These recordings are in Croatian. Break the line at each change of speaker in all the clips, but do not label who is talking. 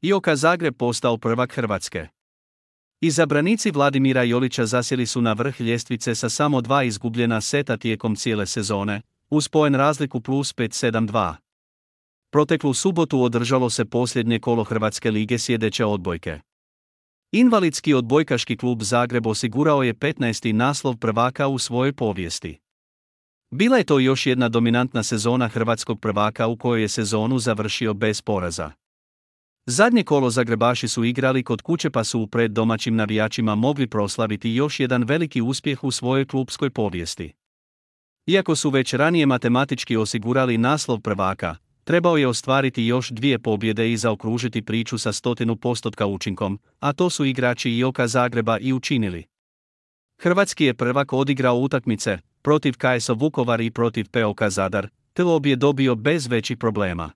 IOK Zagreb postao prvak Hrvatske. Izabranici Vladimira Jolića zasjeli su na vrh ljestvice sa samo 2 izgubljena seta tijekom cijele sezone, uz poen razliku plus 5-7-2. Proteklu subotu održalo se posljednje kolo Hrvatske lige sljedeće odbojke. Invalidski odbojkaški klub Zagreb osigurao je 15. naslov prvaka u svojoj povijesti. Bila je to još jedna dominantna sezona hrvatskog prvaka u kojoj je sezonu završio bez poraza. Zadnje kolo Zagrebaši su igrali kod kuće pa su pred domaćim navijačima mogli proslaviti još jedan veliki uspjeh u svojoj klupskoj povijesti. Iako su već ranije matematički osigurali naslov prvaka, trebao je ostvariti još 2 pobjede i zaokružiti priču sa 100% učinkom, a to su igrači IOK Zagreba i učinili. Hrvatski je prvak odigrao utakmice protiv KS Vukovar i protiv POK Zadar, te obje dobio bez većih problema.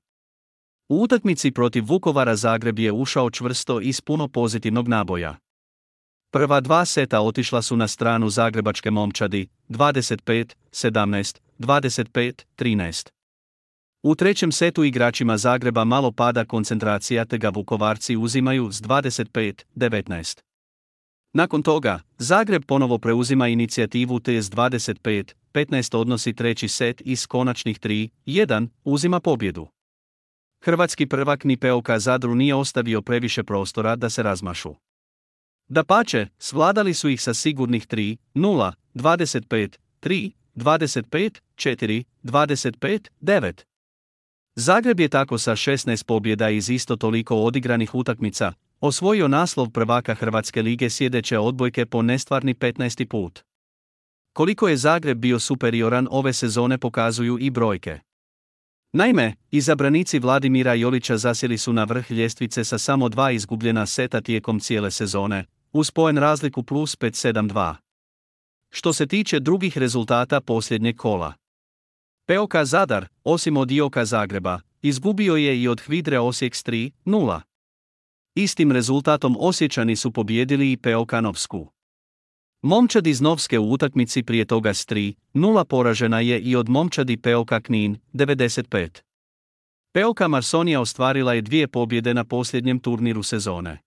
U utakmici protiv Vukovara Zagreb je ušao čvrsto i s puno pozitivnog naboja. Prva 2 seta otišla su na stranu zagrebačke momčadi, 25-17, 25-13. U trećem setu igračima Zagreba malo pada koncentracija te ga Vukovarci uzimaju s 25-19. Nakon toga, Zagreb ponovo preuzima inicijativu te s 25-15 odnosi treći set i s konačnih 3-1 uzima pobjedu. Hrvatski prvak ni POK Zadru nije ostavio previše prostora da se razmašu. Dapače, svladali su ih sa sigurnih 3-0, 25-3, 25-4, 25-9. Zagreb je tako sa 16 pobjeda iz isto toliko odigranih utakmica osvojio naslov prvaka Hrvatske lige sljedeće odbojke po nestvarni 15. put. Koliko je Zagreb bio superioran ove sezone pokazuju i brojke. Naime, izabranici Vladimira Jolića zasjeli su na vrh ljestvice sa samo 2 izgubljena seta tijekom cijele sezone, uz poen razliku plus 5-7-2. Što se tiče drugih rezultata posljednjeg kola, POK Zadar, osim od IOK Zagreba, izgubio je i od Hvidre Osijek s 3-0. Istim rezultatom Osječani su pobijedili i POK Novsku. Momčad iz Novske u utakmici prije toga s 3-0 poražena je i od momčadi POK Knin, 95. POK Marsonija ostvarila je 2 pobjede na posljednjem turniru sezone.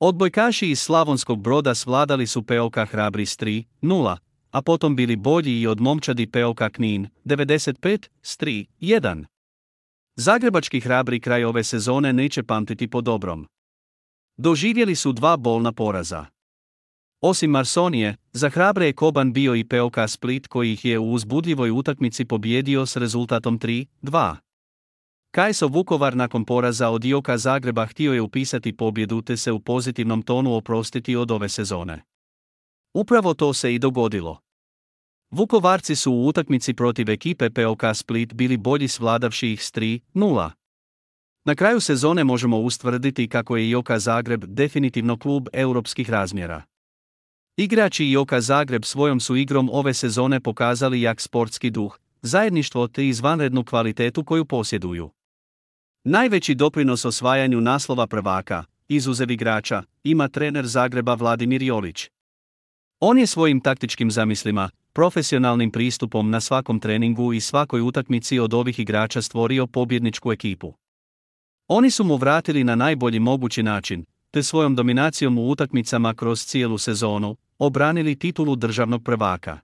Odbojkaši iz Slavonskog Broda svladali su POK Hrabri s 3-0, a potom bili bolji i od momčadi POK Knin, 95, s 3-1. Zagrebački Hrabri kraj ove sezone neće pamtiti po dobrom. Doživjeli su 2 bolna poraza. Osim Marsonije, za Hrabre je koban bio i POK Split koji ih je u uzbudljivoj utakmici pobijedio s rezultatom 3-2. KS Vukovar nakon poraza od IOK Zagreba htio je upisati pobjedu te se u pozitivnom tonu oprostiti od ove sezone. Upravo to se i dogodilo. Vukovarci su u utakmici protiv ekipe POK Split bili bolji svladavši ih s 3-0. Na kraju sezone možemo ustvrditi kako je IOK Zagreb definitivno klub europskih razmjera. Igrači IOK Zagreb svojom su igrom ove sezone pokazali jak sportski duh, zajedništvo te izvanrednu kvalitetu koju posjeduju. Najveći doprinos osvajanju naslova prvaka, izuzev igrača, ima trener Zagreba Vladimir Jolić. On je svojim taktičkim zamislima, profesionalnim pristupom na svakom treningu i svakoj utakmici od ovih igrača stvorio pobjedničku ekipu. Oni su mu vratili na najbolji mogući način, te svojom dominacijom u utakmicama kroz cijelu sezonu obranili titulu državnog prvaka.